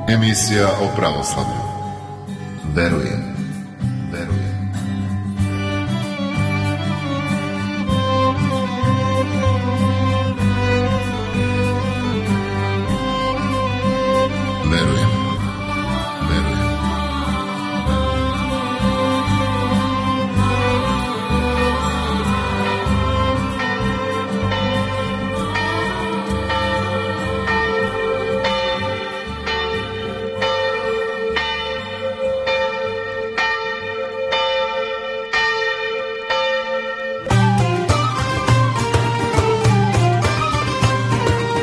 Emisija o pravoslavlju. Verujem.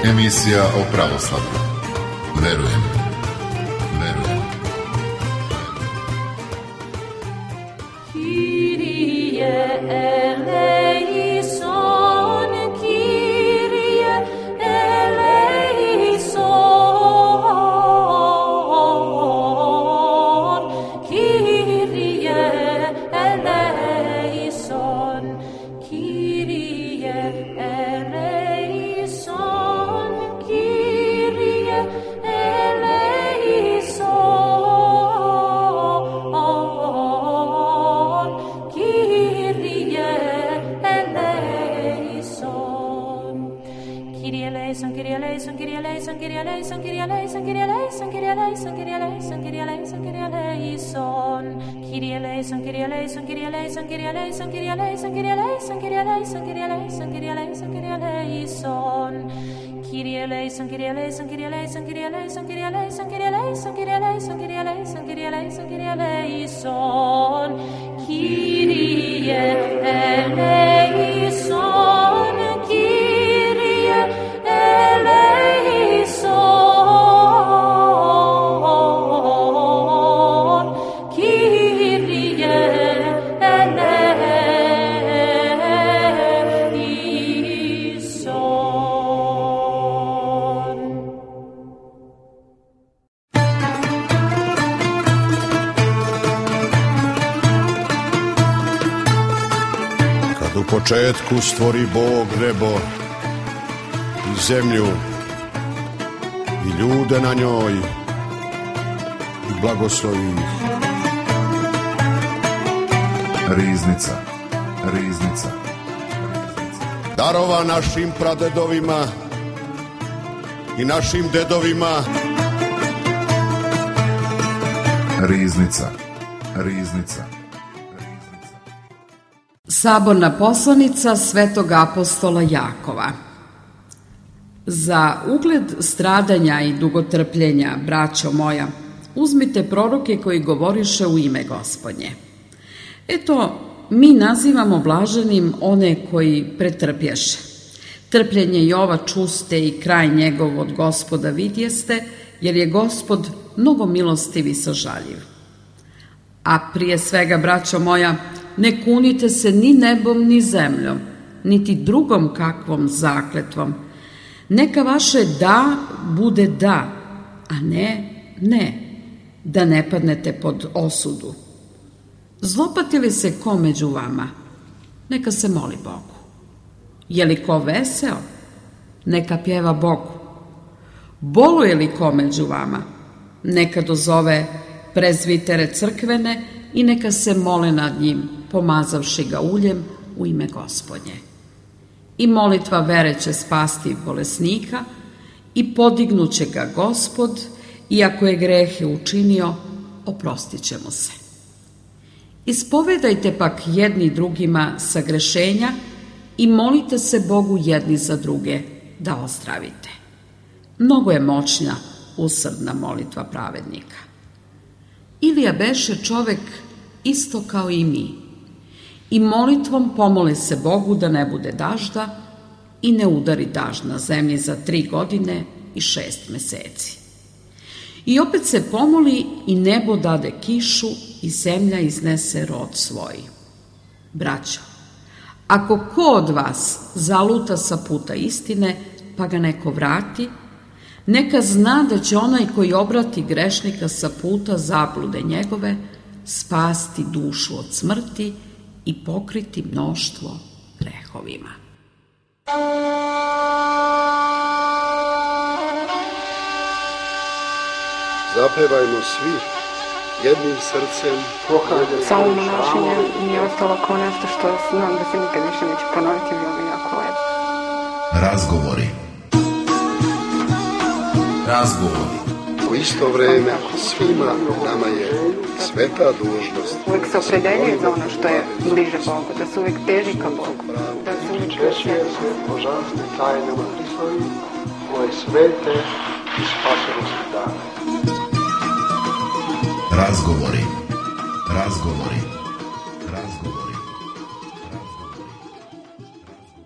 Emisija o pravoslavlju. Verujem. U početku stvori Bog nebo i zemlju i ljude na njoj i blagoslovi ih. Riznica. Darova našim pradedovima i našim dedovima. Riznica. Saborna poslanica Svetog apostola Jakova. Za ugled stradanja i dugotrpljenja, braćo moja, uzmite proroke koji govoriše u ime Gospodnje. Eto, mi nazivamo blaženim one koji pretrpješe. Trpljenje Jova čuste i kraj njegov od Gospoda vidjeste, jer je Gospod mnogo milostiv i sažaljiv. A prije svega, braćo moja, ne kunite se ni nebom ni zemljom, niti drugom kakvom zakletvom. Neka vaše da bude da, a ne, da ne padnete pod osudu. Zlopati li se ko među vama? Neka se moli Bogu. Je li ko veseo? Neka pjeva Bogu. Boluje li ko među vama? Neka dozove prezvitere crkvene i neka se mole nad njim, pomazavši ga uljem u ime Gospodnje. I molitva vere će spasti bolesnika i podignuće ga Gospod, i ako je grehe učinio, oprostit će mu se. Ispovedajte pak jedni drugima sagrešenja i molite se Bogu jedni za druge da ozdravite. Mnogo je moćna usrdna molitva pravednika. Ilija beše čovek isto kao i mi, i molitvom pomole se Bogu da ne bude dažda i ne udari dažd na zemlji za 3 godine i 6 meseci. I opet se pomoli i nebo dade kišu i zemlja iznese rod svoj. Braćo, ako ko od vas zaluta sa puta istine, pa ga neko vrati, neka zna da će onaj koji obrati grešnika sa puta zablude njegove spasti dušu od smrti i pokriti mnoštvo grehovima. Zapevajmo svi jednim srcem. Samo monašenje mi je ostalo kao nešto što znam da se nikad više neće ponoviti, bilo mi jako lepo. Razgovori. U isto vreme svima nama je sveta dužnost. Uvijek se opredeljuje za ono što je bliže Bogu, da se uvijek teži ka Bogu, da se uvijek češće božanstvene tajnama Hristovi, koje svete i spasonosne dane. Razgovori.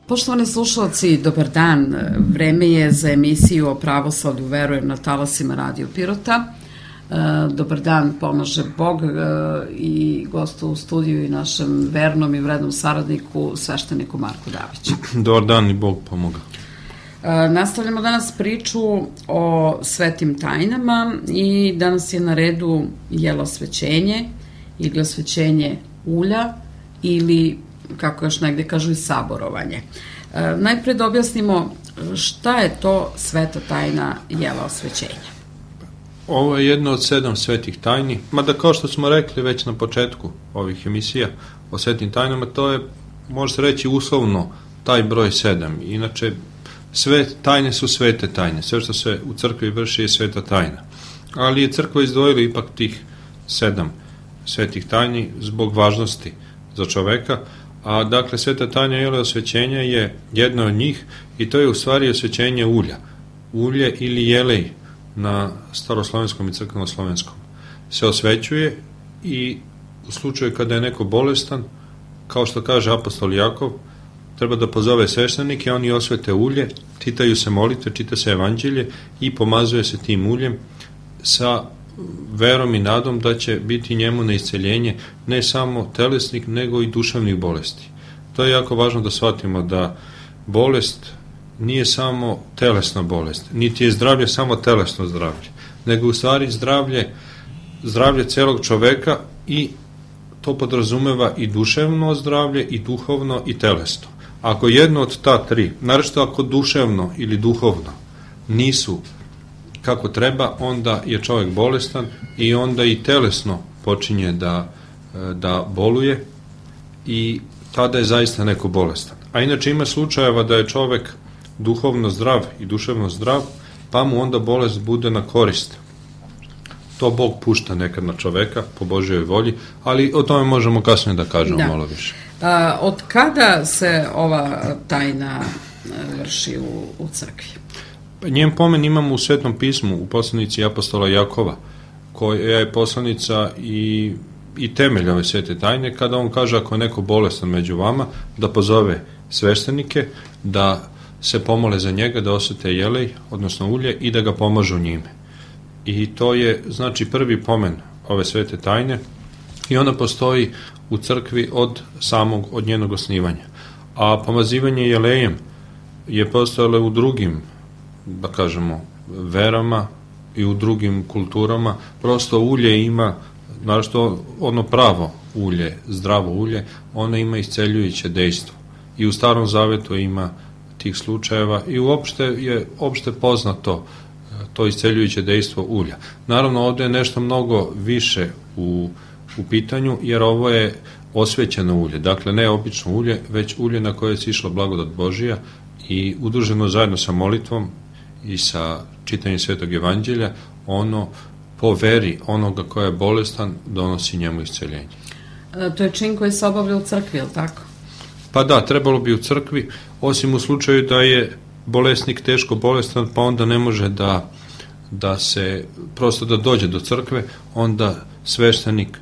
Poštovani slušalci, dobar dan. Vreme je za emisiju o pravoslavlju Verujem na talasima Radio Pirota. Dobar dan, pomaže Bog i gostu u studiju i našem vernom i vrednom saradniku, svešteniku Marku Daviću. Dobar dan i Bog pomoga. Nastavljamo danas priču o svetim tajnama i danas je na redu jelosvećenje ili osvećenje ulja ili, kako još negde kažu, i saborovanje. Najpre da objasnimo šta je to sveta tajna jelosvećenja. Ovo je jedno od 7 svetih tajni, mada kao što smo rekli već na početku ovih emisija o svetim tajnama, to je, može se reći, uslovno taj broj 7. Inače, sve tajne su svete tajne, sve što se u crkvi vrši je sveta tajna. Ali je crkva izdvojila ipak tih 7 svetih tajni zbog važnosti za čoveka, a dakle sveta tajna jelosvećenja je jedna od njih i to je u stvari osvećenje ulja. Ulje ili jelej na staroslovenskom i crkvenoslovenskom se osvećuje i u slučaju kada je neko bolestan, kao što kaže apostol Jakov, treba da pozove sveštenike, oni osvete ulje, čitaju se molitve, čita se evanđelje i pomazuje se tim uljem sa verom i nadom da će biti njemu na isceljenje ne samo telesnih, nego i duševnih bolesti. To je jako važno da shvatimo da bolest nije samo telesna bolest, niti je zdravlje samo telesno zdravlje, nego u stvari zdravlje celog čoveka i to podrazumeva i duševno zdravlje, i duhovno, i telesno. Ako jedno od ta 3, naročito ako duševno ili duhovno nisu kako treba, onda je čovjek bolestan i onda i telesno počinje da boluje i tada je zaista neko bolestan. A inače ima slučajeva da je čovjek duhovno zdrav i duševno zdrav, pa mu onda bolest bude na korist. To Bog pušta nekad na čoveka po Božjoj volji, ali o tome možemo kasnije da kažemo malo više. Od kada se ova tajna vrši u crkvi? Njen pomen imamo u Svetom pismu, u poslanici apostola Jakova, koja je poslanica i temelj ove svete tajne, kada on kaže ako je neko bolestan među vama, da pozove sveštenike, da se pomole za njega, da osvete jelej, odnosno ulje, i da ga pomažu njime. I to je, znači, prvi pomen ove svete tajne i ona postoji u crkvi od njenog osnivanja. A pomazivanje jelejem je postojalo u drugim, da kažemo, verama i u drugim kulturama. Prosto ulje ima, našto ono pravo ulje, zdravo ulje, ono ima isceljujuće dejstvo. I u Starom Zavetu ima tih slučajeva i uopšte je opšte poznato to isceljujuće dejstvo ulja. Naravno, ovde je nešto mnogo više u pitanju, jer ovo je osvećeno ulje. Dakle, ne obično ulje, već ulje na koje je sišla blagodat Božija i udruženo zajedno sa molitvom i sa čitanjem Svetog evanđelja, ono po veri onoga koja je bolestan donosi njemu isceljenje. To je čin koji se obavlja u crkvi, je li tako? Pa da, trebalo bi u crkvi, osim u slučaju da je bolesnik teško bolestan, pa onda ne može da se, prosto da dođe do crkve, onda sveštenik,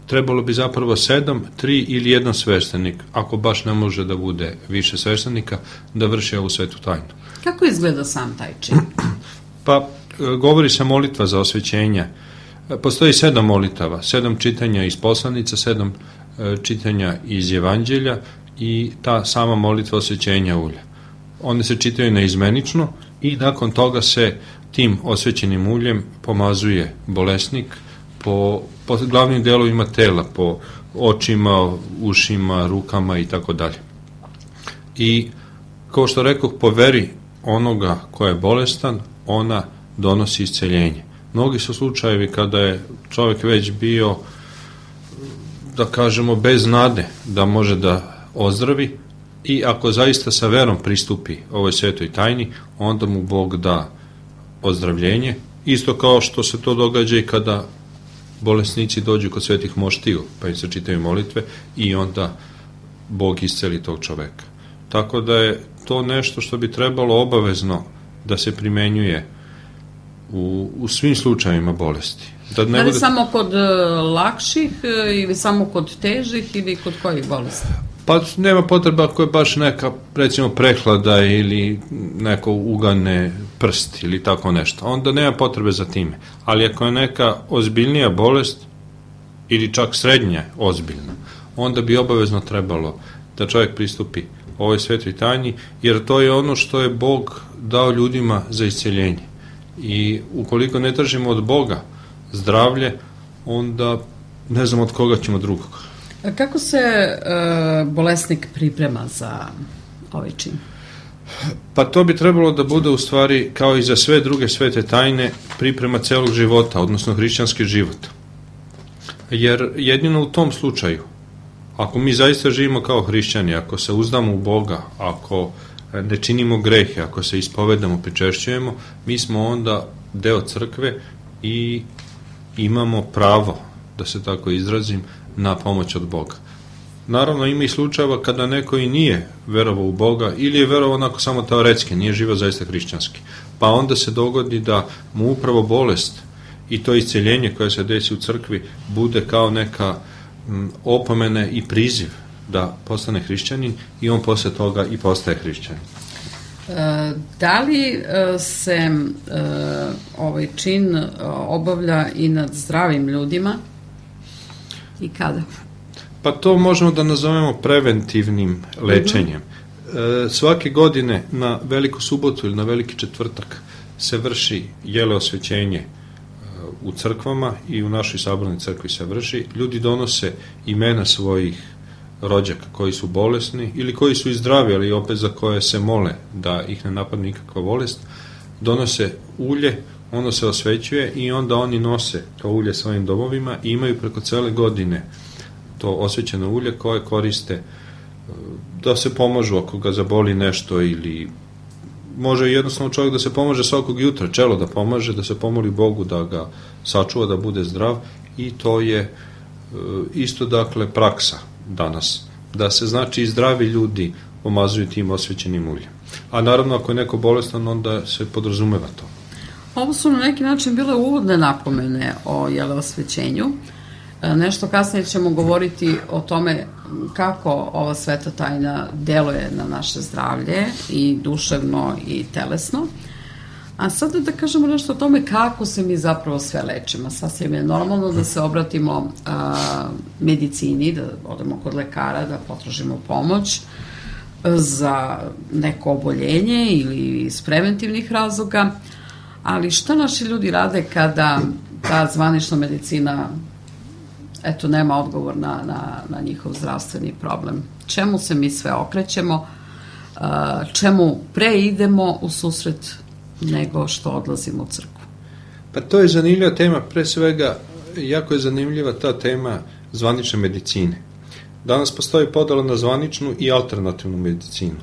trebalo bi zapravo 7, 3 ili 1 sveštenik, ako baš ne može da bude više sveštenika, da vrši ovu svetu tajnu. Kako izgleda sam taj čin? Pa, govori se molitva za osvećenje. Postoji 7 molitava, 7 čitanja iz poslanica, 7 čitanja iz evanđelja i ta sama molitva osvećenja ulja. One se čitaju naizmenično i nakon toga se tim osvećenim uljem pomazuje bolesnik po glavnim delovima tela, po očima, ušima, rukama i tako dalje. I kao što rekoh, po veri onoga ko je bolestan, ona donosi isceljenje. Mnogi su slučajevi kada je čovjek već bio, da kažemo, bez nade da može da ozdravi, i ako zaista sa verom pristupi ovoj svetoj tajni, onda mu Bog da ozdravljenje, isto kao što se to događa i kada bolesnici dođu kod svetih moštiju, pa im se čitaju molitve i onda Bog isceli tog čoveka. Tako da je to nešto što bi trebalo obavezno da se primenjuje u svim slučajevima bolesti. Da li bude samo kod lakših ili samo kod težih ili kod kojih bolesti? Pa nema potreba ako je baš neka, recimo, prehlada ili neko ugane prst ili tako nešto. Onda nema potrebe za time. Ali ako je neka ozbiljnija bolest ili čak srednja ozbiljna, onda bi obavezno trebalo da čovjek pristupi ovoj svetoj tajni, jer to je ono što je Bog dao ljudima za isceljenje. I ukoliko ne tražimo od Boga zdravlje, onda ne znam od koga ćemo drugog. Kako se bolesnik priprema za ovaj čin? Pa to bi trebalo da bude u stvari, kao i za sve druge svete tajne, priprema celog života, odnosno hrišćanski život. Jer jedino u tom slučaju, ako mi zaista živimo kao hrišćani, ako se uzdamo u Boga, ako ne činimo grehe, ako se ispovedamo, pričešćujemo, mi smo onda deo crkve i imamo pravo, da se tako izrazim, na pomoć od Boga. Naravno, ima i slučajeva kada neko i nije verovao u Boga ili je verovao onako samo teoretski, nije živao zaista hrišćanski. Pa onda se dogodi da mu upravo bolest i to isceljenje koje se desi u crkvi bude kao neka opomene i priziv da postane hrišćanin i on posle toga i postaje hrišćanin. Da li se ovaj čin obavlja i nad zdravim ljudima i kada? Pa to možemo da nazovemo preventivnim lečenjem. Svake godine na Veliku subotu ili na Veliki četvrtak se vrši jeleosvećenje u crkvama i u našoj sabornoj crkvi se vrši. Ljudi donose imena svojih rođaka koji su bolesni ili koji su i zdravi, ali opet za koje se mole da ih ne napadne nikakva bolest. Donose ulje, ono se osvećuje i onda oni nose to ulje svojim domovima i imaju preko cele godine to osvećeno ulje koje koriste da se pomažu ako ga zaboli nešto, ili može jednostavno čovjek da se pomaže svakog jutra, čelo da pomaže, da se pomoli Bogu da ga sačuva, da bude zdrav, i to je isto, dakle, praksa danas, da se, znači, i zdravi ljudi pomazuju tim osvećenim uljem. A naravno, ako je neko bolestan, onda se podrazumeva to. Ovo su na neki način bile uvodne napomene o jeleosvećenju. Nešto kasnije ćemo govoriti o tome kako ova sveta tajna deluje na naše zdravlje i duševno i telesno. A sada da kažemo nešto o tome kako se mi zapravo sve lečimo. Sasvim je normalno da se obratimo medicini, da odemo kod lekara, da potražimo pomoć za neko oboljenje ili iz preventivnih razloga, ali šta naši ljudi rade kada ta zvanična medicina nema odgovor na njihov zdravstveni problem? Čemu se mi sve okrećemo? Čemu pre idemo u susret nego što odlazimo u crkvu? Pa to je zanimljiva tema, pre svega jako je zanimljiva ta tema zvanične medicine. Danas postoji podela na zvaničnu i alternativnu medicinu,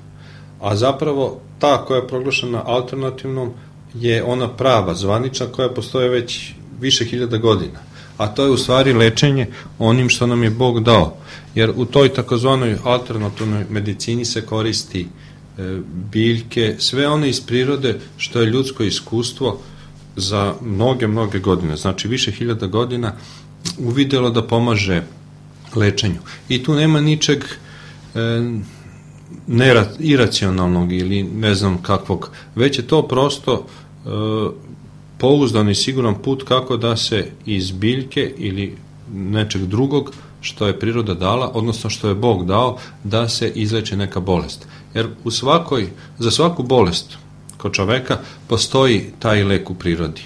a zapravo ta koja je proglašena alternativnom je ona prava, zvanična, koja postoje već više hiljada godina, a to je u stvari lečenje onim što nam je Bog dao, jer u toj takozvanoj alternativnoj medicini se koristi biljke, sve one iz prirode što je ljudsko iskustvo za mnoge godine, znači više hiljada godina, uvidelo da pomaže lečenju. I tu nema ničeg iracionalnog ili ne znam kakvog, već je to prosto pouzdan i siguran put kako da se iz biljke ili nečeg drugog što je priroda dala, odnosno što je Bog dao, da se izleči neka bolest. Jer za svaku bolest kod čoveka postoji taj lek u prirodi.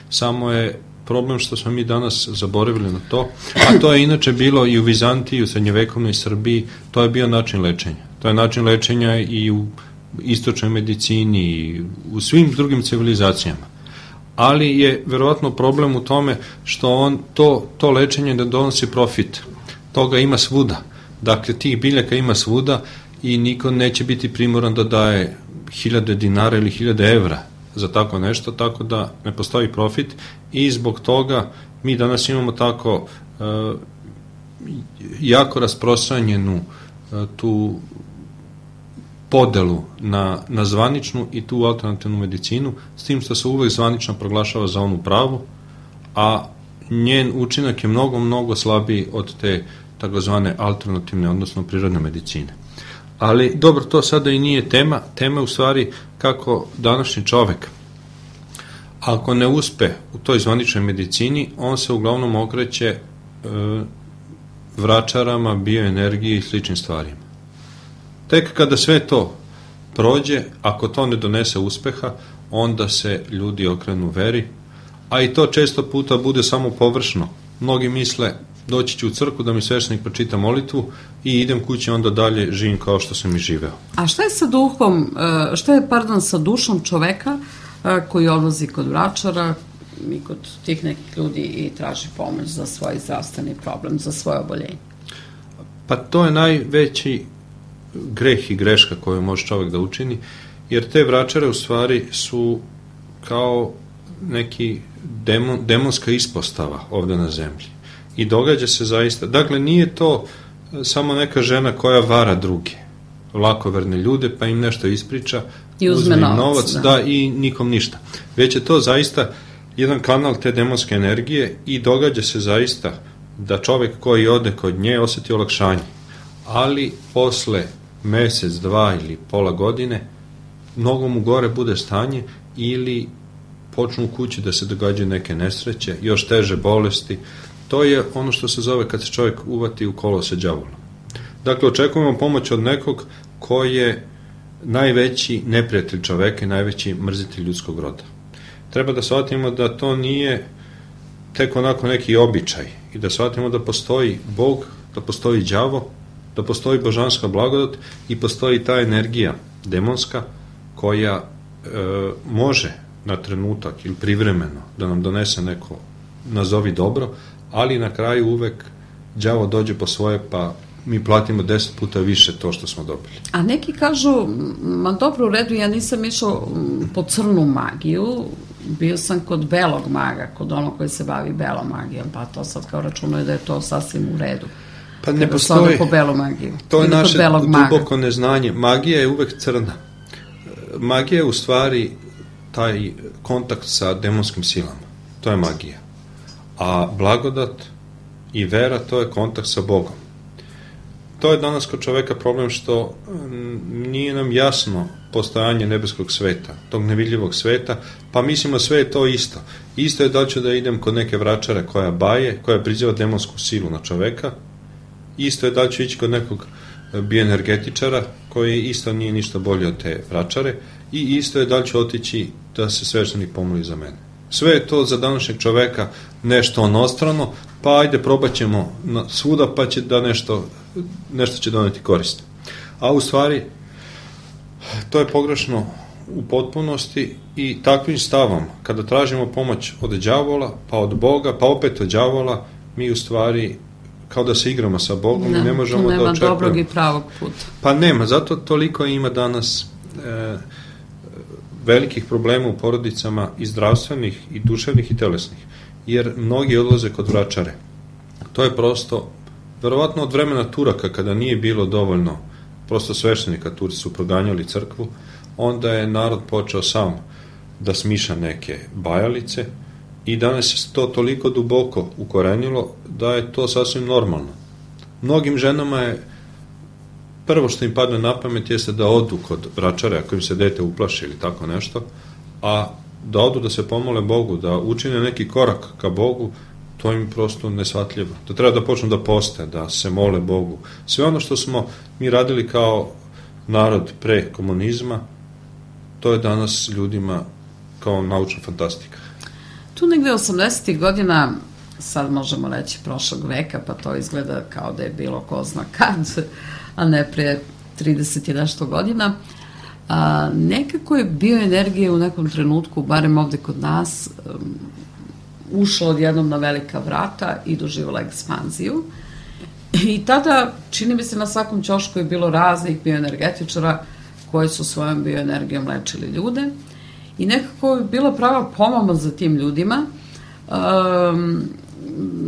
Samo je problem što smo mi danas zaboravili na to, a to je inače bilo i u Vizantiji, u srednjevekovnoj Srbiji, to je bio način lečenja. To je način lečenja i u istočnoj medicini i u svim drugim civilizacijama. ali je verovatno problem u tome što on to lečenje ne donosi profit. Toga ima svuda. Dakle, tih biljaka ima svuda i niko neće biti primoran da daje 1000 dinara ili 1000 evra za tako nešto, tako da ne postoji profit i zbog toga mi danas imamo tako jako rasprostranjenu tu podelu na zvaničnu i tu alternativnu medicinu, s tim što se uvek zvanično proglašava za onu pravu, a njen učinak je mnogo, mnogo slabiji od te takozvane alternativne, odnosno prirodne medicine. Ali dobro, to sada i nije tema. Tema je u stvari kako današnji čovek, ako ne uspe u toj zvaničnoj medicini, on se uglavnom okreće vračarama, bioenergiji i sličnim stvarima. Tek kada sve to prođe, ako to ne donese uspeha, onda se ljudi okrenu veri, a i to često puta bude samo površno. Mnogi misle, doći ću u crkvu da mi sveštenik pročita molitvu i idem kući, onda dalje živim kao što sam i živeo. A šta je sa dušom čoveka koji odlazi kod vračara i kod tih nekih ljudi i traži pomoć za svoj zdravstveni problem, za svoje oboljenje? Pa to je najveći greh i greška koju može čovek da učini, jer te vračare u stvari su kao neki demonska ispostava ovde na zemlji. I događa se zaista, dakle nije to samo neka žena koja vara druge, lakoverne ljude, pa im nešto ispriča, i uzme novac, da, i nikom ništa. Već je to zaista jedan kanal te demonske energije i događa se zaista da čovek koji ode kod nje oseti olakšanje, ali posle mesec, 2 ili pola godine mnogo mu gore bude stanje ili počnu u kući da se događaju neke nesreće, još teže bolesti. To je ono što se zove kad se čovjek uvati u kolo sa đavolom. Dakle, očekujemo pomoć od nekog ko je najveći neprijatelj čoveka i najveći mrzitelj ljudskog roda. Treba da shvatimo da to nije tek onako neki običaj i da shvatimo da postoji Bog, da postoji đavo, da postoji božanska blagodat i postoji ta energija demonska koja može na trenutak ili privremeno da nam donese neko nazovi dobro, ali na kraju uvek đavo dođe po svoje, pa mi platimo 10 puta više to što smo dobili. A neki kažu, ma dobro, u redu, ja nisam išao po crnu magiju, bio sam kod belog maga, kod onog koji se bavi belom magijom, pa to sad kao računaju da je to sasvim u redu. Pa ne postoji, po belu magiju. To je naše duboko neznanje. Magija je uvek crna. Magija je u stvari taj kontakt sa demonskim silama. To je magija. A blagodat i vera, to je kontakt sa Bogom. To je danas kod čoveka problem što nije nam jasno postojanje nebeskog sveta, tog nevidljivog sveta, pa mislimo sve je to isto. Isto je da ću da idem kod neke vračare koja baje, koja priziva demonsku silu na čoveka, isto je da ću ići kod nekog bioenergetičara koji isto nije ništa bolje od te vračare i isto je da ću otići da se sveštenik pomoli za mene. Sve je to za današnjeg čoveka nešto onostrano, pa ajde probat ćemo svuda pa će da nešto će doneti korist. A u stvari to je pogrešno u potpunosti i takvim stavom, kada tražimo pomoć od đavola, pa od Boga, pa opet od đavola, mi u stvari kao da se igramo sa Bogom i ne možemo da očekujemo. Nema dobrog i pravog puta. Pa nema, zato toliko ima danas velikih problema u porodicama i zdravstvenih, i duševnih, i telesnih, jer mnogi odlaze kod vračare. To je prosto, verovatno od vremena Turaka, kada nije bilo dovoljno prosto sveštenika, Turci su proganjali crkvu, onda je narod počeo sam da smiša neke bajalice i danas se to toliko duboko ukorenilo da je to sasvim normalno. Mnogim ženama je prvo što im padne na pamet jeste da odu kod vračare ako im se dete uplaši ili tako nešto, a da odu da se pomole Bogu, da učine neki korak ka Bogu, to im prosto neshvatljivo. Da treba da počnu da poste, da se mole Bogu. Sve ono što smo mi radili kao narod pre komunizma, to je danas ljudima kao naučna fantastika. Tu negde 80. godina, sad možemo reći prošlog veka, pa to izgleda kao da je bilo ko zna kad, a ne pre 30 i nešto godina, nekako je bioenergija u nekom trenutku, barem ovde kod nas, ušla odjednom na velika vrata i doživjela ekspanziju. I tada, čini mi se, na svakom ćošku je bilo raznih bioenergetičara koji su svojom bioenergijom lečili ljude. I nekako je bila prava pomama za tim ljudima.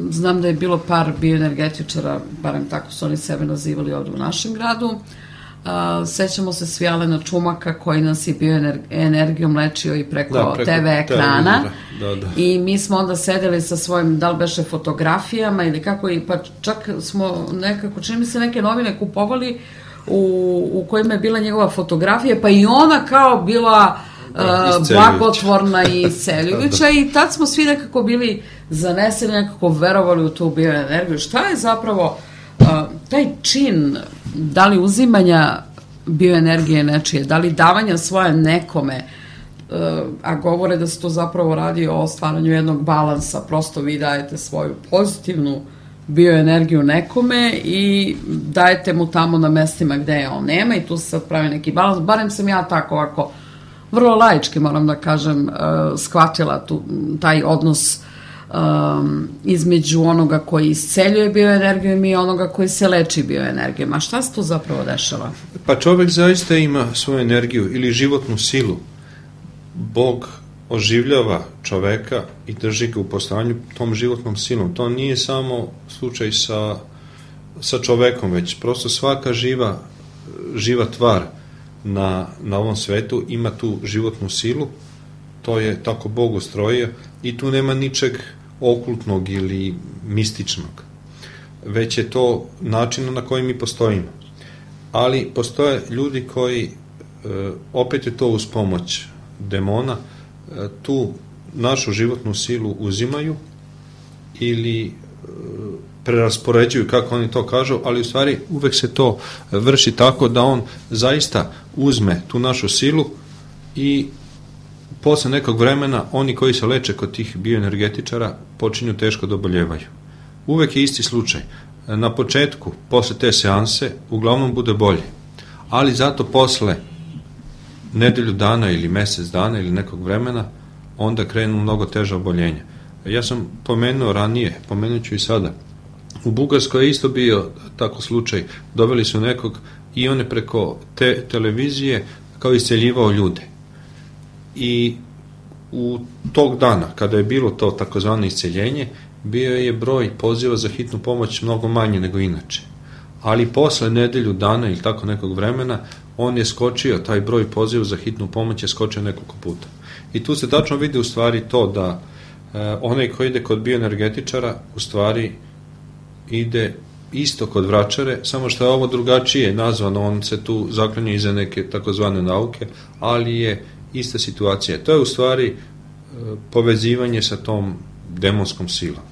Znam da je bilo par bioenergetičara, barem tako su oni sebe nazivali ovde u našem gradu. Sećamo se svi Alena Čumaka koji nas je bioenergijom lečio i preko TV ekrana. I mi smo onda sedeli sa svojim, da li beše fotografijama ili kako, i pa čak smo nekako, čini mi se, neke novine kupovali u kojima je bila njegova fotografija, pa i ona kao bila blagotvorna i isceljujuća. I tad smo svi nekako bili zaneseni, nekako verovali u tu bioenergiju. Šta je zapravo taj čin, da li uzimanja bioenergije nečije, da li davanja svoje nekome, a govore da se to zapravo radi o stvaranju jednog balansa, prosto vi dajete svoju pozitivnu bioenergiju nekome i dajete mu tamo na mestima gde je on nema i tu se sad pravi neki balans. Barem sam ja tako ovako vrlo laički, moram da kažem, shvatila taj odnos između onoga koji isceljuje bioenergijom i onoga koji se leči bioenergijom. A šta se tu zapravo dešava? Pa čovek zaista ima svoju energiju ili životnu silu. Bog oživljava čoveka i drži ga u postojanju tom životnom silom. To nije samo slučaj sa čovekom, već prosto svaka živa tvar na ovom svetu ima tu životnu silu. To je tako Bog ustrojio i tu nema ničeg okultnog ili mističnog. Već je to način na koji mi postojimo. Ali postoje ljudi koji, opet je to uz pomoć demona, tu našu životnu silu uzimaju ili preraspoređuju, kako oni to kažu, ali u stvari uvek se to vrši tako da on zaista uzme tu našu silu i posle nekog vremena oni koji se leče kod tih bioenergetičara počinju teško da oboljevaju. Uvek je isti slučaj. Na početku, posle te seanse, uglavnom bude bolje. Ali zato posle nedelju dana ili mesec dana ili nekog vremena, onda krenu mnogo teža oboljenja. Ja sam pomenuo ranije, pomenut ću i sada. U Bugarskoj je isto bio tako slučaj. Doveli su nekog i on je preko televizije kao isceljivao ljude. I u tog dana, kada je bilo to takozvano isceljenje, bio je broj poziva za hitnu pomoć mnogo manje nego inače. Ali posle nedelju dana ili tako nekog vremena, on je skočio, taj broj poziva za hitnu pomoć je skočio nekoliko puta. I tu se tačno vidi u stvari to da onaj koji ide kod bioenergetičara u stvari ide isto kod vračare, samo što je ovo drugačije nazvano, on se tu zaklanja iza neke takozvane nauke, ali je ista situacija. To je u stvari povezivanje sa tom demonskom silom.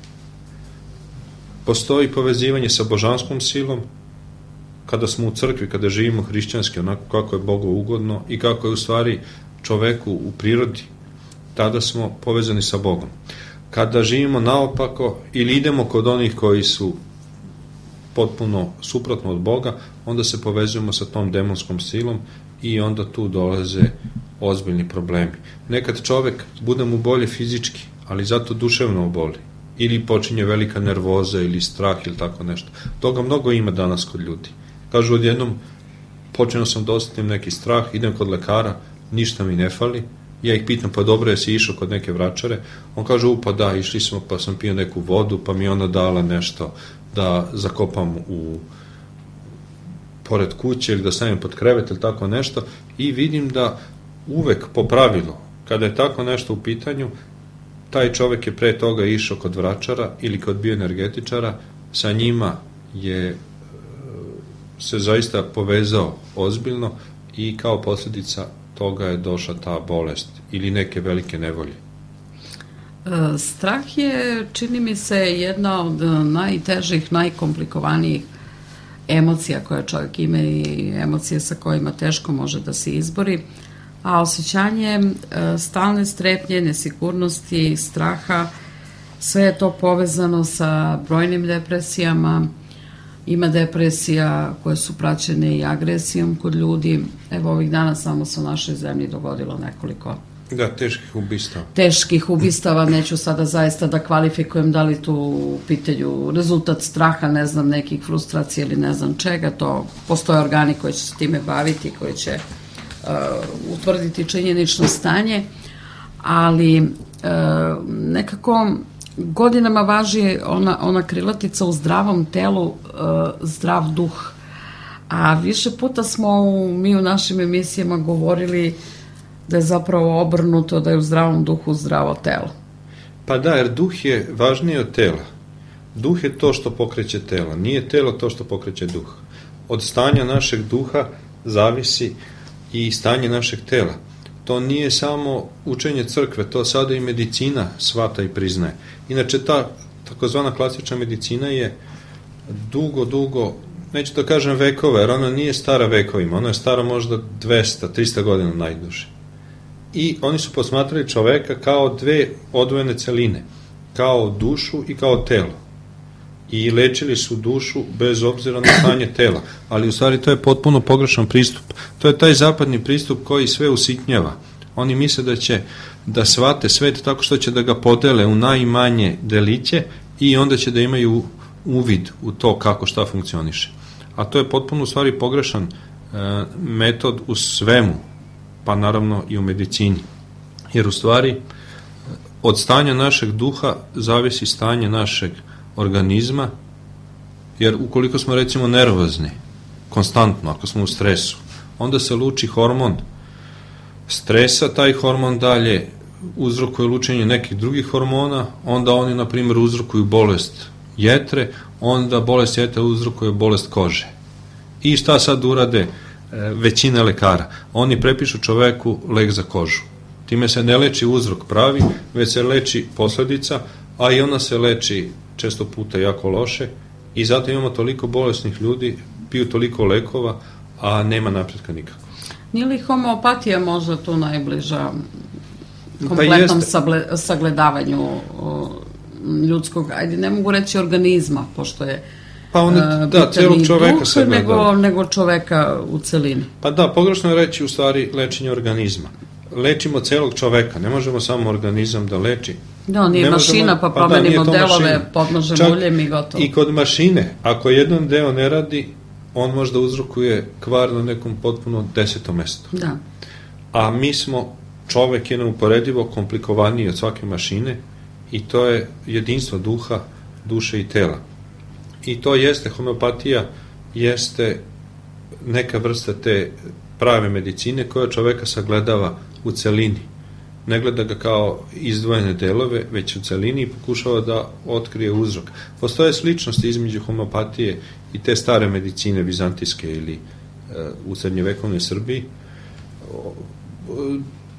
Postoji povezivanje sa božanskom silom, kada smo u crkvi, kada živimo hrišćanski, onako kako je Bogu ugodno i kako je u stvari čoveku u prirodi, tada smo povezani sa Bogom. Kada živimo naopako ili idemo kod onih koji su potpuno suprotno od Boga, onda se povezujemo sa tom demonskom silom i onda tu dolaze ozbiljni problemi. Nekad čovek bude mu bolje fizički, ali zato duševno oboli. Ili počinje velika nervoza ili strah ili tako nešto. Toga mnogo ima danas kod ljudi. Kažu odjednom, počeo sam da osetim neki strah, idem kod lekara, ništa mi ne fali. Ja ih pitam, pa dobro, jesi išao kod neke vračare? On kaže, pa da, išli smo, pa sam pio neku vodu, pa mi ona dala nešto da zakopam pored kuće ili da stavim pod krevet ili tako nešto. I vidim da uvek po pravilu, kada je tako nešto u pitanju, taj čovek je pre toga išao kod vračara ili kod bioenergetičara, sa njima je se zaista povezao ozbiljno i kao posljedica toga je došla ta bolest ili neke velike nevolje. Strah je, čini mi se, jedna od najtežih, najkomplikovanijih emocija koje čovjek ima i emocije sa kojima teško može da se izbori, a osjećanje stalne strepnje, nesigurnosti, straha, sve je to povezano sa brojnim depresijama, Ima depresija koje su praćene i agresijom kod ljudi. Evo, ovih dana samo se u našoj zemlji dogodilo nekoliko teških ubistava. Neću sada zaista da kvalifikujem da li tu u pitanju rezultat straha, ne znam, nekih frustracija ili ne znam čega. To postoje organi koji će se time baviti, koji će utvrditi činjenično stanje, ali nekako godinama važi ona krilatica: u zdravom telu zdrav duh. A više puta smo mi u našim emisijama govorili da je zapravo obrnuto, da je u zdravom duhu zdravo telo. Pa da, jer duh je važniji od tela. Duh je to što pokreće telo, nije telo to što pokreće duh. Od stanja našeg duha zavisi i stanje našeg tela. To nije samo učenje crkve, to sada i medicina shvata i priznaje. Inače, ta takozvana klasična medicina je dugo, neću da kažem vekova, jer ona nije stara vekovima, ona je stara možda 200-300 godina najduže. I oni su posmatrali čoveka kao dve odvojene celine, kao dušu i kao telo. I lečili su dušu bez obzira na stanje tela. Ali u stvari to je potpuno pogrešan pristup. To je taj zapadni pristup koji sve usitnjava. Oni misle da će da shvate svet tako što će da ga podele u najmanje deliće i onda će da imaju uvid u to kako šta funkcioniše. A to je potpuno u stvari pogrešan metod u svemu, pa naravno i u medicini. Jer u stvari od stanja našeg duha zavisi stanje našeg organizma, jer ukoliko smo recimo nervozni, konstantno, ako smo u stresu, onda se luči hormon stresa, taj hormon dalje uzrokuje lučenje nekih drugih hormona, onda oni, na primjer, uzrokuju bolest jetre, onda bolest jetre uzrokuje bolest kože. I šta sad urade većina lekara? Oni prepišu čoveku lek za kožu. Time se ne leči uzrok pravi, već se leči posledica, a i ona se leči često puta jako loše i zato imamo toliko bolesnih ljudi, piju toliko lekova, a nema napretka nikako. Nije li homeopatija možda tu najbliža kompletnom sagledavanju ljudskog, ajde, ne mogu reći organizma, pošto je celog čoveka sagledava. Nego čoveka u celini. Pa da, pogrešno je reći u stvari lečenje organizma. Lečimo celog čoveka, ne možemo samo organizam da leči. Da, nije mašina, pa promenimo delove, podnožemo uljem i gotovo. I kod mašine, ako jedan deo ne radi, on možda uzrokuje kvar na nekom potpuno 10. mestu. Da. A mi smo, čovek je neuporedivo komplikovaniji od svake mašine i to je jedinstvo duha, duše i tela. I to jeste, homeopatija jeste neka vrsta te prave medicine koja čoveka sagledava u celini. Ne gleda ga kao izdvojene delove, već u celini i pokušava da otkrije uzrok. Postoje sličnosti između homeopatije i te stare medicine vizantijske ili u srednjevekovnoj Srbiji.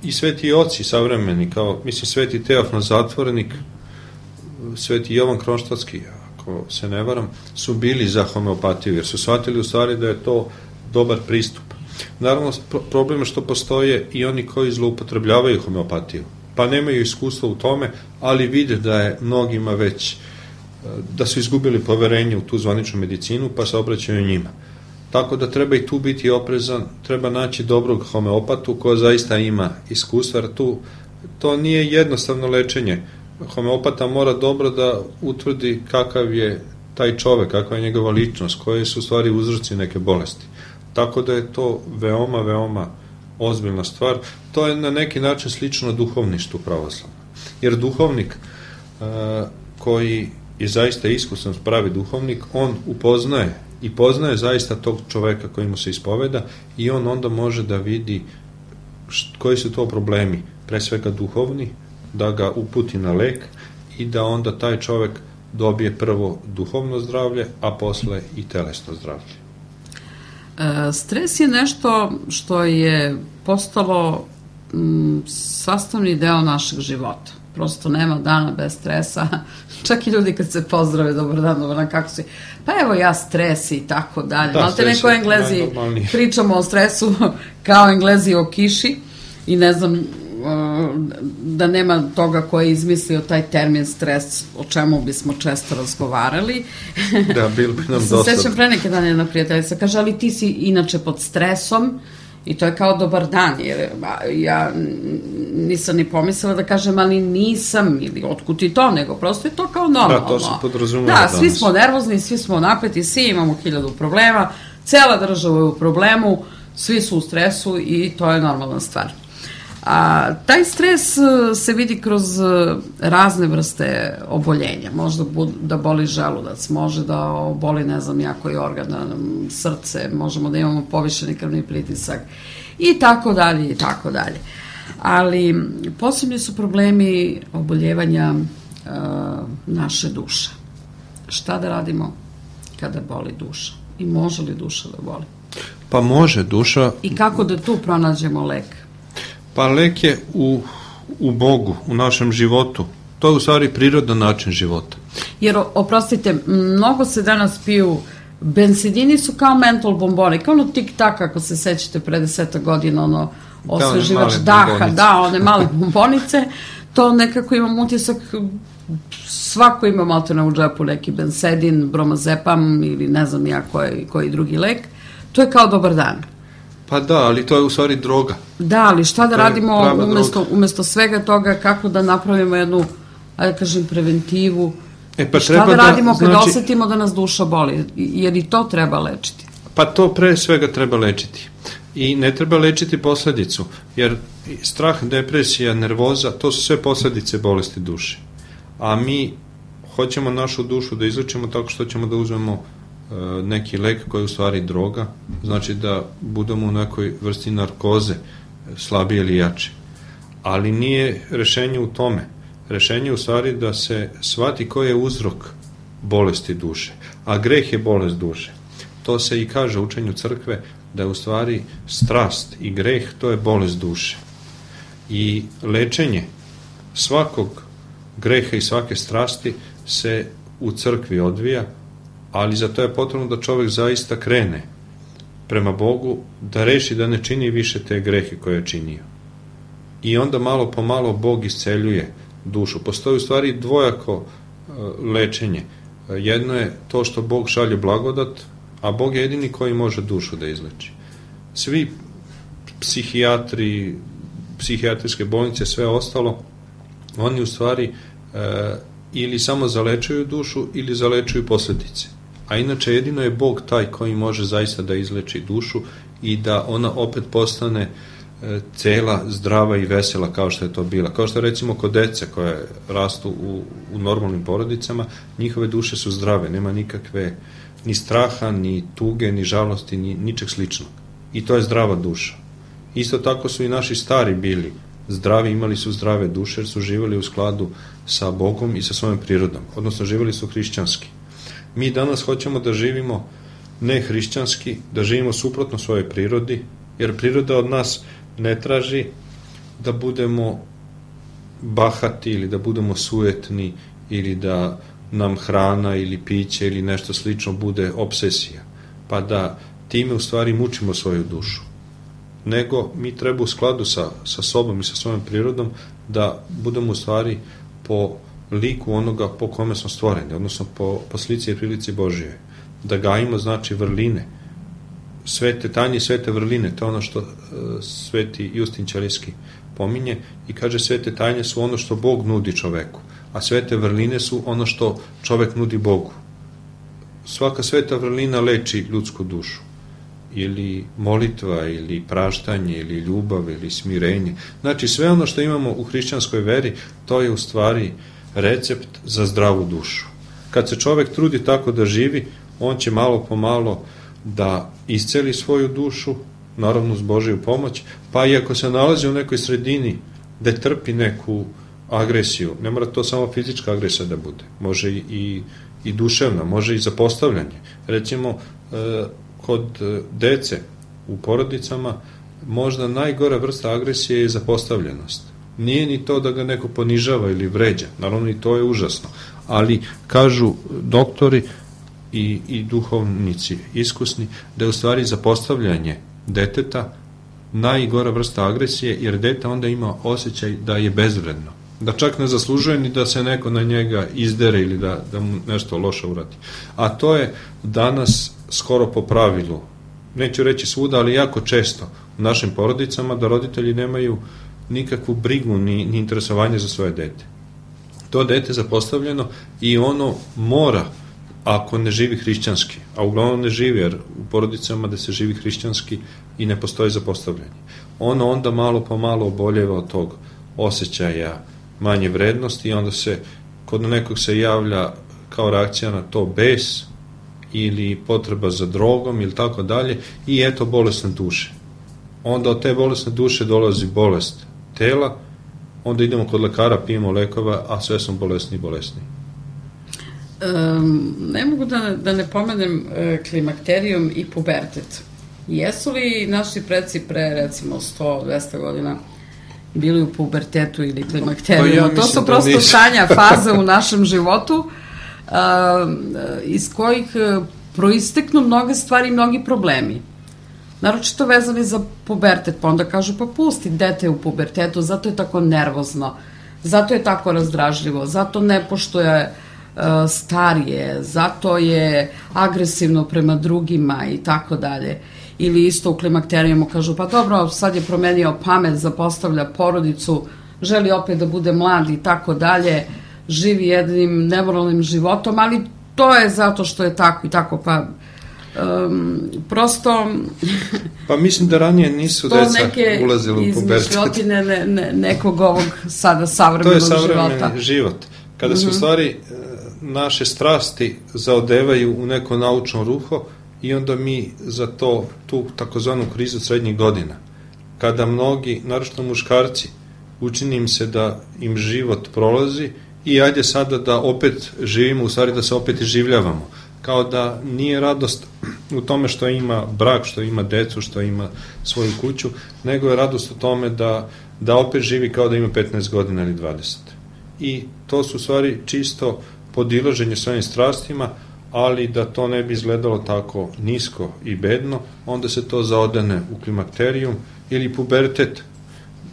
I sveti oci savremeni, kao, mislim, sveti Teofan Zatvorenik, sveti Jovan Kronštatski, ako se ne varam, su bili za homeopatiju, jer su shvatili u stvari da je to dobar pristup. Naravno, problem je što postoje i oni koji zloupotrebljavaju homeopatiju, pa nemaju iskustva u tome, ali vide da je mnogima već, da su izgubili poverenje u tu zvaničnu medicinu, pa se obraćaju njima. Tako da treba i tu biti oprezan, treba naći dobrog homeopatu koja zaista ima iskustva, jer to nije jednostavno lečenje. Homeopata mora dobro da utvrdi kakav je taj čovek, kakva je njegova ličnost, koje su u stvari uzroci neke bolesti. Tako da je to veoma, veoma ozbiljna stvar. To je na neki način slično duhovništvu pravoslavno. Jer duhovnik koji je zaista iskusan, pravi duhovnik, on upoznaje i poznaje zaista tog čoveka koji mu se ispoveda i on onda može da vidi koji su to problemi, pre svega duhovni, da ga uputi na lek i da onda taj čovek dobije prvo duhovno zdravlje, a posle i telesno zdravlje. Stres je nešto što je postalo sastavni deo našeg života. Prosto nema dana bez stresa. Čak i ljudi kad se pozdrave, dobar dan, kako si? Pa evo ja stres i tako dalje. Malte neko Englezi, pričamo o stresu kao Englezi o kiši i ne znam da nema toga ko je izmislio taj termin stres, o čemu bismo često razgovarali. Da, bilo bi nam dosta. Sećam pre neke dana jedna prijateljica, kaže, ali ti si inače pod stresom i to je kao dobar dan, jer ja nisam ni pomislila da kažem, ali nisam, ili otkud ti to, nego prosto je to kao normalno. Da, to se podrazumeva danas. Da, svi smo nervozni, svi smo napeti, svi imamo 1000 problema, cela država je u problemu, svi su u stresu i to je normalna stvar. A taj stres se vidi kroz razne vrste oboljenja. Možda da boli želudac, može da boli, ne znam, koji organ, srce, možemo da imamo povišeni krvni pritisak i tako dalje i tako dalje. Ali posebni su problemi oboljevanja naše duše. Šta da radimo kada boli duša? I može li duša da boli? Pa može duša. I kako da tu pronađemo lek? Pa lek je u Bogu, u našem životu. To je u stvari prirodan način života. Jer, oprostite, mnogo se danas piju, bensedini su kao mentol bomboni, kao ono tik-tak, ako se sećate, pre 10 godina, osveživač daha, da, one male bombonice, to nekako imam utisak, svako ima maltene u džepu neki bensedin, bromazepam ili ne znam ja koji drugi lek, to je kao dobar dan. Pa da, ali to je u stvari droga. Da, ali šta da radimo umesto svega toga, kako da napravimo jednu, ajde kažem, preventivu, šta da radimo kada osetimo da nas duša boli, jer i to treba lečiti. Pa to pre svega treba lečiti. I ne treba lečiti posledicu, jer strah, depresija, nervoza, to su sve posledice bolesti duše. A mi hoćemo našu dušu da izlečimo tako što ćemo da uzmemo neki lek koji je u stvari droga, znači da budemo u nekoj vrsti narkoze, slabije ili jače. Ali nije rešenje u tome. Rešenje je u stvari da se shvati koji je uzrok bolesti duše. A greh je bolest duše. To se i kaže u učenju crkve, da je u stvari strast i greh, to je bolest duše. I lečenje svakog greha i svake strasti se u crkvi odvija, ali za to je potrebno da čovek zaista krene prema Bogu, da reši da ne čini više te grehe koje je činio. I onda malo po malo Bog isceljuje dušu. Postoji u stvari dvojako lečenje. Jedno je to što Bog šalje blagodat, a Bog je jedini koji može dušu da izleči. Svi psihijatri, psihijatrijske bolnice, sve ostalo, oni u stvari ili samo zalečuju dušu ili zalečuju posledice. A inače jedino je Bog taj koji može zaista da izleči dušu i da ona opet postane cela, zdrava i vesela kao što je to bila. Kao što recimo kod dece koje rastu u normalnim porodicama, njihove duše su zdrave, nema nikakve ni straha, ni tuge, ni žalosti, ni ničeg sličnog. I to je zdrava duša. Isto tako su i naši stari bili zdravi, imali su zdrave duše jer su živjeli u skladu sa Bogom i sa svojom prirodom, odnosno živjeli su hrišćanski. Mi danas hoćemo da živimo ne hrišćanski, da živimo suprotno svojoj prirodi, jer priroda od nas ne traži da budemo bahati ili da budemo sujetni ili da nam hrana ili piće ili nešto slično bude obsesija, pa da time u stvari mučimo svoju dušu. Nego mi treba u skladu sa sobom i sa svojom prirodom da budemo u stvari po liku onoga po kome smo stvoreni, odnosno po slici i prilici Božije. Da gajimo znači vrline, svete tanje, svete vrline, to je ono što sveti Justin Ćelijski pominje i kaže svete tajne su ono što Bog nudi čoveku, a svete vrline su ono što čovek nudi Bogu. Svaka sveta vrlina leči ljudsku dušu, ili molitva, ili praštanje, ili ljubav, ili smirenje. Znači sve ono što imamo u hrišćanskoj veri, to je u stvari recept za zdravu dušu. Kad se čovek trudi tako da živi, on će malo po malo da isceli svoju dušu, naravno uz Božiju pomoć, pa i ako se nalazi u nekoj sredini gde trpi neku agresiju, ne mora to samo fizička agresija da bude, može i duševna, može i zapostavljanje. Recimo, kod dece u porodicama možda najgora vrsta agresije je zapostavljenost. Nije ni to da ga neko ponižava ili vređa, naravno i to je užasno, ali kažu doktori i duhovnici iskusni da je u stvari zapostavljanje deteta najgora vrsta agresije, jer dete onda ima osjećaj da je bezvredno, da čak ne zaslužuje ni da se neko na njega izdere ili da mu nešto loše uradi. A to je danas skoro po pravilu, neću reći svuda, ali jako često u našim porodicama, da roditelji nemaju nikakvu brigu ni interesovanje za svoje dete. To dete je zapostavljeno i ono mora, ako ne živi hrišćanski, a uglavnom ne živi, jer u porodicama da se živi hrišćanski i ne postoji zapostavljanje, ono onda malo po malo oboljeva od tog osjećaja manje vrednosti i onda se kod nekog se javlja kao reakcija na to bes ili potreba za drogom ili tako dalje i eto bolesne duše. Onda od te bolesne duše dolazi bolest tela, onda idemo kod lekara, pijemo lekova, a sve smo bolesni i bolesni. Ne mogu da ne pomenem klimakterijum i pubertet. Jesu li naši preci pre recimo 100-200 godina bili u pubertetu ili klimakterijumu? To su prosto stanja, faze u našem životu iz kojih proisteknu mnoge stvari i mnogi problemi. Naročito vezani za pubertet, pa onda kažu pa pusti dete u pubertetu, zato je tako nervozno, zato je tako razdražljivo, zato ne poštuje starije, zato je agresivno prema drugima i tako dalje. Ili isto u klimakterijumu kažu pa dobro, sad je promenio pamet, zapostavlja porodicu, želi opet da bude mlad i tako dalje, živi jednim nemoralnim životom, ali to je zato što je tako i tako, pa prosto pa mislim da ranije nisu deca ulazili u pubertet. To neke izmišljotine nekog ovog sada savremenog života. To je savremeni život. Kada se u stvari naše strasti zaodevaju u neko naučno ruho i onda mi za tu takozvanu krizu srednjih godina, kada mnogi, naročito muškarci, učini im se da im život prolazi i ajde sada da opet živimo, u stvari da se opet življavamo. Kao da nije radost u tome što ima brak, što ima decu, što ima svoju kuću, nego je radost u tome da opet živi kao da ima 15 godina ili 20. I to su u stvari čisto podilaženje svojim strastima, ali da to ne bi izgledalo tako nisko i bedno, onda se to zaodene u klimakterijum ili pubertet.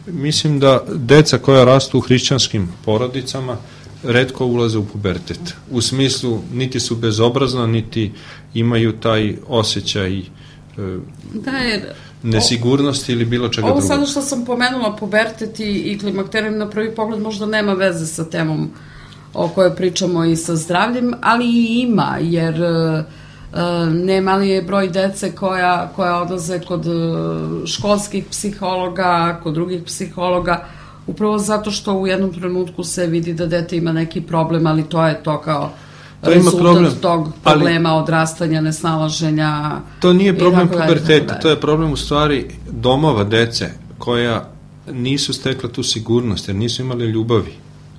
Mislim da deca koja rastu u hrišćanskim porodicama retko ulaze u pubertet. U smislu, niti su bezobrazna, niti imaju taj osjećaj nesigurnosti ili bilo čega drugog. Ovo sada što sam pomenula, pubertet i klimakterijum, na prvi pogled možda nema veze sa temom o kojoj pričamo i sa zdravljem, ali i ima, jer nema li je broj dece koja odlaze kod školskih psihologa, kod drugih psihologa, upravo zato što u jednom trenutku se vidi da dete ima neki problem, ali to je to kao rezultat tog problema, odrastanja, nesnalaženja. To nije problem puberteta, to je problem u stvari domova dece koja nisu stekla tu sigurnost, jer nisu imali ljubavi.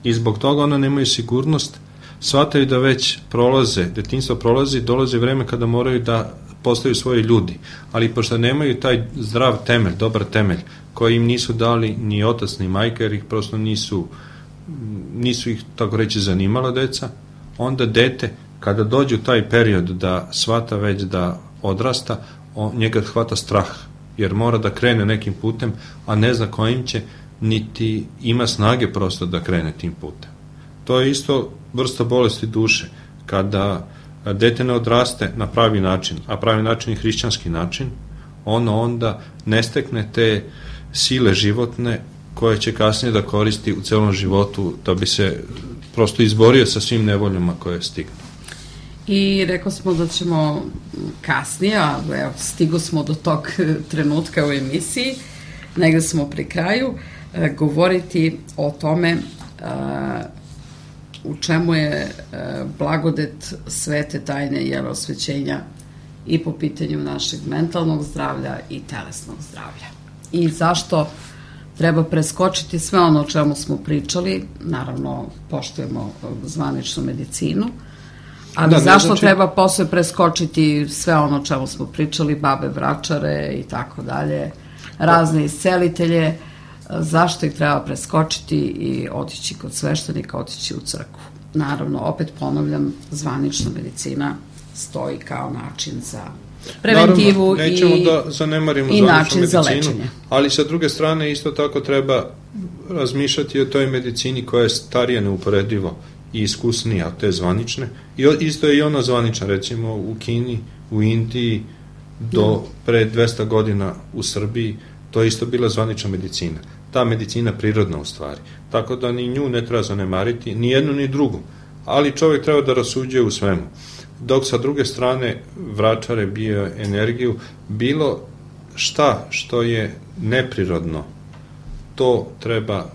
I zbog toga ona nemaju sigurnost, shvataju da već prolaze, detinjstvo prolazi, dolazi vreme kada moraju da postaju svoji ljudi, ali pošto nemaju taj zdrav temelj, dobar temelj, koji im nisu dali ni otac ni majka, jer ih prosto nisu ih, tako reći, zanimala deca, onda dete, kada dođe u taj period da shvata već da odrasta, njega hvata strah, jer mora da krene nekim putem, a ne zna kojim će, niti ima snage prosto da krene tim putem. To je isto vrsta bolesti duše, kada dete ne odraste na pravi način, a pravi način je hrišćanski način, ono onda ne stekne te sile životne koje će kasnije da koristi u celom životu da bi se prosto izborio sa svim nevoljama koje stignu. I rekao smo da ćemo kasnije, a evo, stigo smo do tog trenutka u emisiji, negde smo pri kraju, govoriti o tome u čemu je blagodet svete tajne i osvećenja i po pitanju našeg mentalnog zdravlja i telesnog zdravlja. I zašto treba preskočiti sve ono o čemu smo pričali, naravno poštujemo zvaničnu medicinu, ali zašto treba posle preskočiti sve ono o čemu smo pričali, babe vračare i tako dalje, razne iscelitelje, zašto ih treba preskočiti i otići kod sveštenika, otići u crkvu. Naravno, opet ponavljam, zvanična medicina stoji kao način za preventivu. Naravno, nećemo da zanemarimo i način za medicinu, lečenje. ali sa druge strane isto tako treba razmišljati o toj medicini koja je starija neuporedivo i iskusnija od te zvanične. I isto je i ona zvanična, recimo u Kini, u Indiji, do pre 200 godina u Srbiji, to je isto bila zvanična medicina. Ta medicina prirodna u stvari. Tako da ni nju ne treba zanemariti, ni jednu ni drugu. Ali čovjek treba da rasuđuje u svemu. Dok sa druge strane vračare bioenergiju, bilo šta što je neprirodno, to treba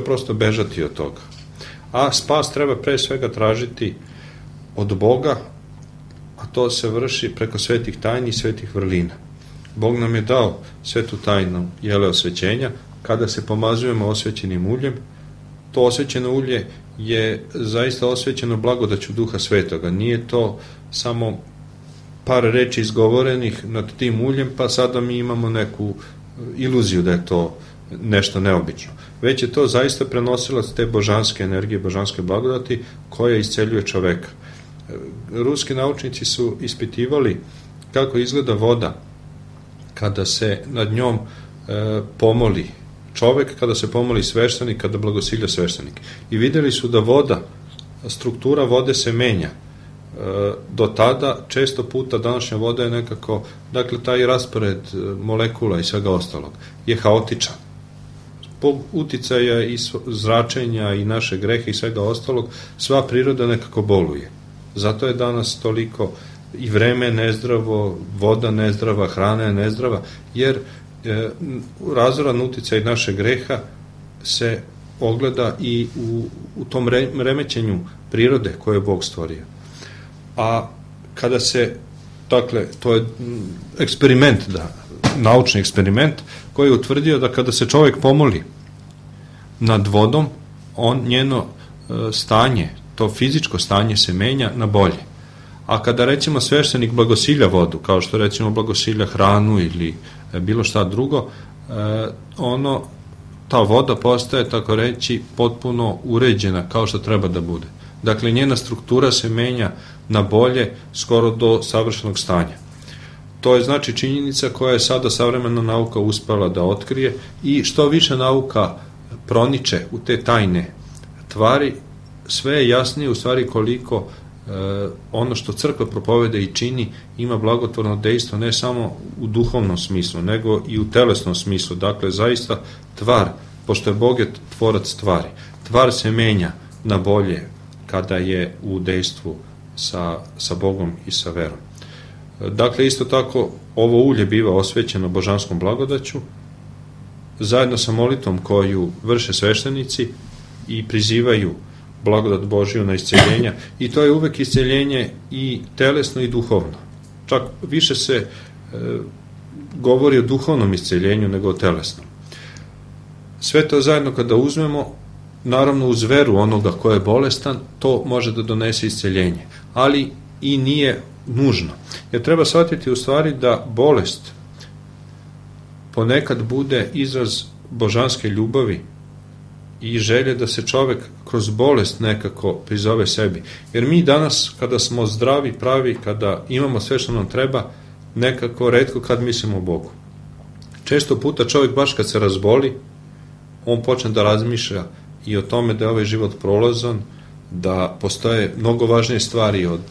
prosto bežati od toga. A spas treba pre svega tražiti od Boga, a to se vrši preko svetih tajni i svetih vrlina. Bog nam je dao svetu tajnu osvećenja. Kada se pomazujemo osvećenim uljem, to osvećeno ulje je zaista osvećeno blagodaću Duha Svetoga. Nije to samo par reči izgovorenih nad tim uljem, pa sada mi imamo neku iluziju da je to nešto neobično. Već je to zaista prenosilac te božanske energije, božanske blagodati koja isceljuje čoveka. Ruski naučnici su ispitivali kako izgleda voda kada se nad njom pomoli čovek, kada se pomoli sveštenik, kada blagosilja sveštenik. I videli su da voda, struktura vode se menja. Do tada, često puta, današnja voda je nekako, dakle, taj raspored molekula i svega ostalog je haotičan. Zbog uticaja i zračenja i naše grehe i svega ostalog, sva priroda nekako boluje. Zato je danas toliko i vreme nezdravo, voda nezdrava, hrana je nezdrava, jer razoran uticaj naše greha se ogleda i u tom remećenju prirode koje je Bog stvorio. A kada se, dakle, to je eksperiment, naučni eksperiment koji je utvrdio da kada se čovjek pomoli nad vodom, njeno stanje, to fizičko stanje se menja na bolje. A kada recimo sveštenik blagosilja vodu, kao što recimo blagosilja hranu ili bilo šta drugo, ta voda postaje, tako reći, potpuno uređena kao što treba da bude. Dakle, njena struktura se menja na bolje skoro do savršenog stanja. To je znači činjenica koja je sada savremena nauka uspela da otkrije i što više nauka proniče u te tajne tvari, sve je jasnije u stvari koliko ono što crkva propoveda i čini ima blagotvorno dejstvo ne samo u duhovnom smislu, nego i u telesnom smislu. Dakle, zaista tvar, pošto je Bog je tvorac tvari, tvar se menja na bolje kada je u dejstvu sa Bogom i sa verom. Dakle, isto tako, ovo ulje biva osvećeno božanskom blagodaću, zajedno sa molitvom koju vrše sveštenici i prizivaju blagodat Božiju na isceljenja, i to je uvek isceljenje i telesno i duhovno. Čak više se govori o duhovnom isceljenju nego o telesnom. Sve to zajedno kada uzmemo, naravno uz veru onoga ko je bolestan, to može da donese isceljenje, ali i nije nužno. Jer treba shvatiti u stvari da bolest ponekad bude izraz božanske ljubavi i želje da se čovek kroz bolest nekako prizove sebi. Jer mi danas, kada smo zdravi, pravi, kada imamo sve što nam treba, nekako retko kad mislimo o Bogu. Često puta čovek baš kad se razboli, on počne da razmišlja i o tome da je ovaj život prolazan, da postoje mnogo važnije stvari od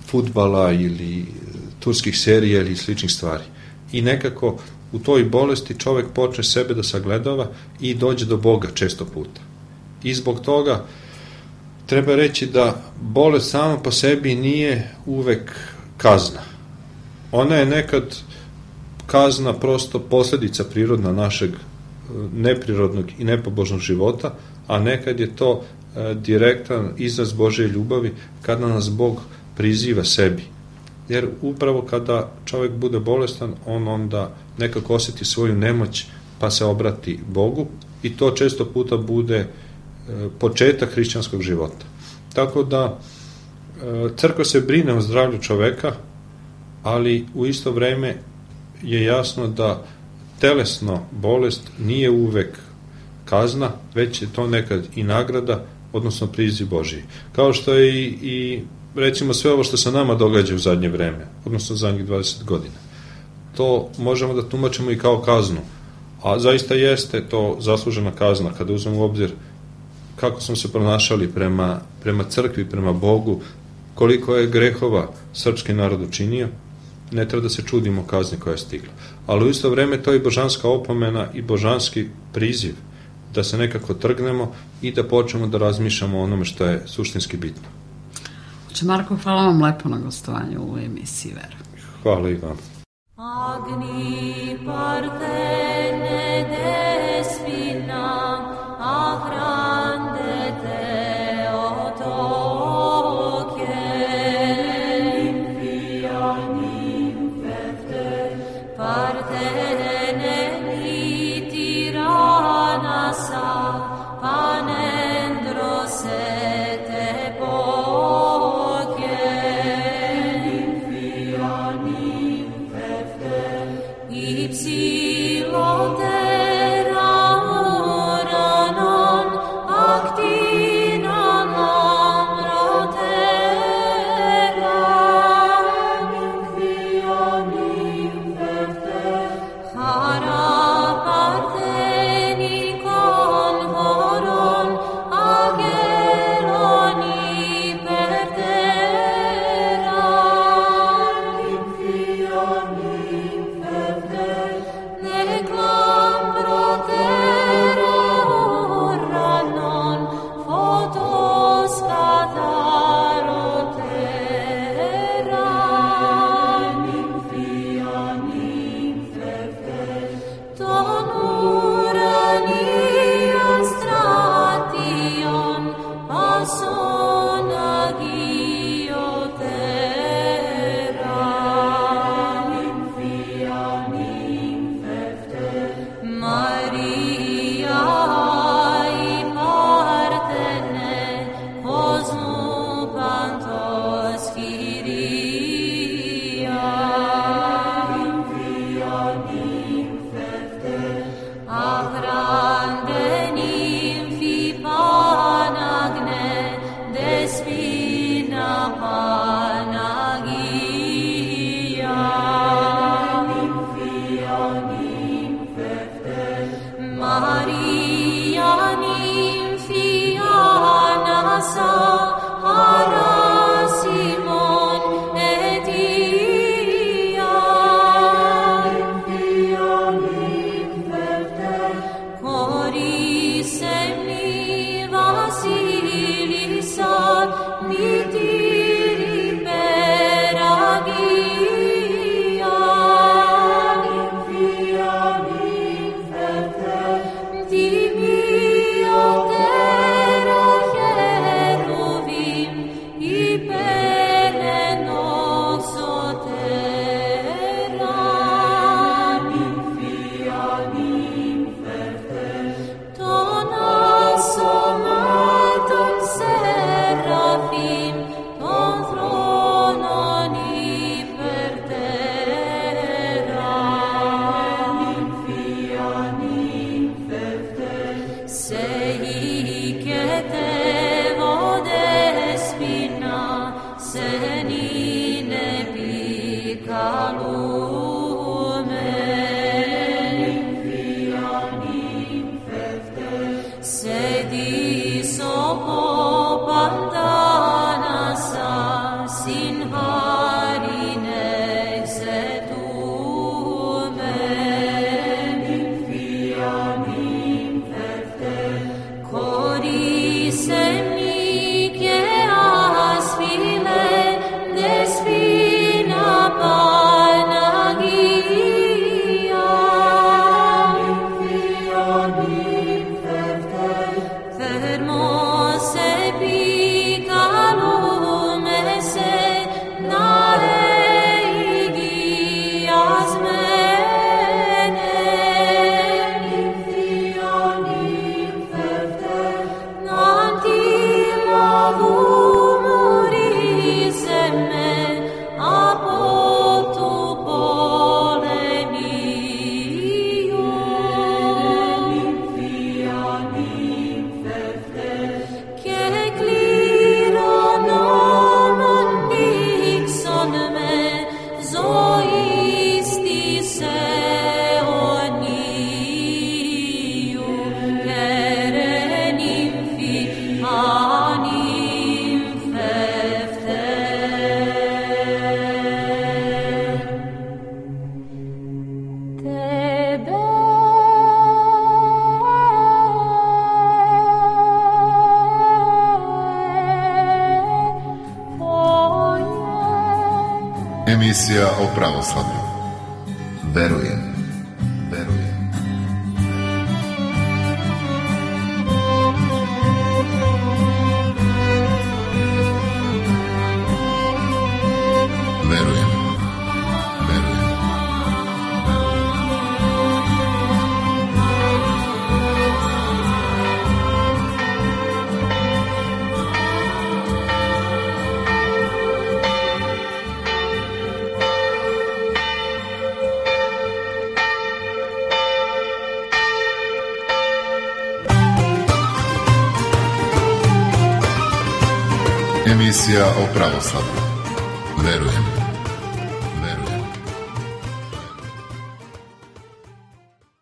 fudbala ili turskih serija ili sličnih stvari. I nekako u toj bolesti čovek počne sebe da sagledava i dođe do Boga često puta. I zbog toga treba reći da bolest sama po sebi nije uvek kazna. Ona je nekad kazna prosto posljedica prirodna našeg neprirodnog i nepobožnog života, a nekad je to direktan izraz Božje ljubavi kada nas Bog priziva sebi. Jer upravo kada čovjek bude bolestan, on onda nekako osjeti svoju nemoć pa se obrati Bogu i to često puta bude početak hrišćanskog života. Tako da crkva se brine o zdravlju čoveka, ali u isto vreme je jasno da telesno bolest nije uvek kazna, već je to nekad i nagrada odnosno priziv Božiji. Kao što je i recimo sve ovo što se nama događa u zadnje vreme, odnosno zadnjih 20 godina. To možemo da tumačimo i kao kaznu, a zaista jeste to zaslužena kazna kada uzmemo u obzir kako smo se pronašali prema crkvi, prema Bogu, koliko je grehova srpski narod učinio, ne treba da se čudimo kazni koja je stigla. Ali u isto vreme to je božanska opomena i božanski priziv da se nekako trgnemo i da počnemo da razmišljamo o onome što je suštinski bitno. Marko, hvala vam lepo na gostovanju u emisiji Vera. Hvala i vam. Agni partene despina agrande te otoke infianim fefte partene ni tiranasa panendro se te poke infianim fefte ipsilon terra oranon actinan amrotera infianim fefte hara parteni convoron ageroni pertera infianim fefte neclam protera oranon photos catarotera infianim fefte tonurani astration passon agiotera infianim fefte Maria i partene cosmu pantos Kyria infianim fefte agrande nymphi panagne despina panagia infianim fefte Maria nymphianasa hara Simon et Ia infianim fefte coris semni Vasilisa mitiri peragia infianim fefte timiotera cheruvim hyperenoxotera infianim fefte ton assomaton serafim ton thronon hypertera infianim fefte sei che te vodespina senine picalume infianim fefte sedis opantanasa sin harine exetume infianim fefte coris semnice aspile despina pana Emisija o pravoslavlju. Verujem. Emisija o pravoslavlju. Verujem.